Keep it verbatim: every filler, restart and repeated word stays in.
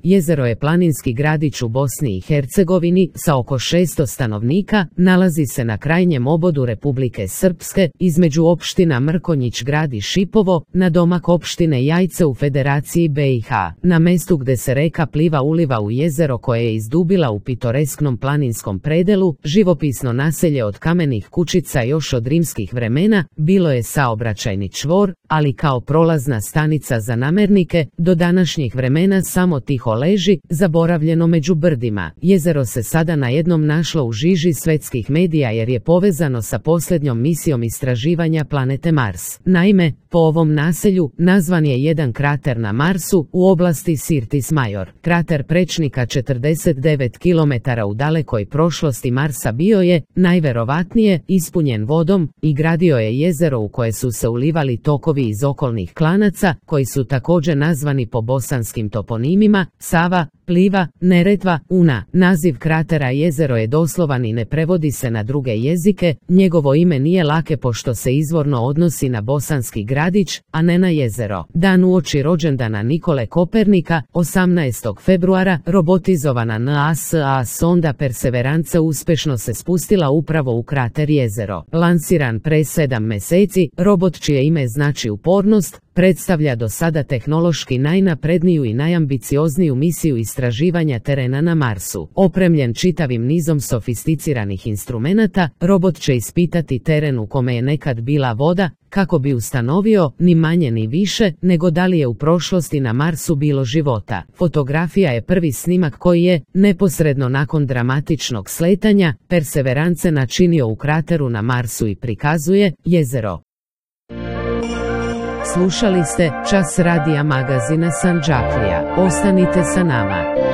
Jezero je planinski gradić u Bosni i Hercegovini sa oko šesto stanovnika, nalazi se na krajnjem obodu Republike Srpske, između opština Mrkonjić grad i Šipovo, na domak opštine Jajce u Federaciji B i H, na mestu gde se reka Pliva uliva u jezero koje je izdubila u pitoresknom planinskom predelu, živopisno naselje od kamenih kućica još od rimskih vremena, bilo je saobraćajni čvor, ali kao prolazna stanica za namernike, do današnjih vremena samo tiho leži, zaboravljeno među brdima. Jezero se sada najednom našlo u žiži svetskih medija jer je povezano sa posljednjom misijom istraživanja planete Mars. Naime, po ovom naselju nazvan je jedan krater na Marsu u oblasti Sirtis Major. Krater prečnika četrdeset devet kilometara u dalekoj prošlosti Marsa bio je, najverovatnije, ispunjen vodom i gradio je jezero u koje su se ulivali tokovi iz okolnih klanaca, koji su također nazvani po bosanskim toponimima Sava, Pliva, Neretva, Una. Naziv kratera jezero je doslovan i ne prevodi se na druge jezike, njegovo ime nije lake pošto se izvorno odnosi na bosanski gradić, a ne na jezero. Dan uoči rođendana Nikole Kopernika, osamnaestog februara, robotizovana NASA sonda Perseverance uspešno se spustila upravo u krater jezero. Lansiran pre sedam meseci, robot čije ime znači upornost, predstavlja do sada tehnološki najnapredniju i najambiciozniju misiju istraživanja terena na Marsu. Opremljen čitavim nizom sofisticiranih instrumenata, robot će ispitati teren u kome je nekad bila voda, kako bi ustanovio, ni manje ni više, nego da li je u prošlosti na Marsu bilo života. Fotografija je prvi snimak koji je, neposredno nakon dramatičnog sletanja, Perseverance načinio u krateru na Marsu i prikazuje jezero. Slušali ste Čas radija magazina Sandžaklija. Ostanite sa nama.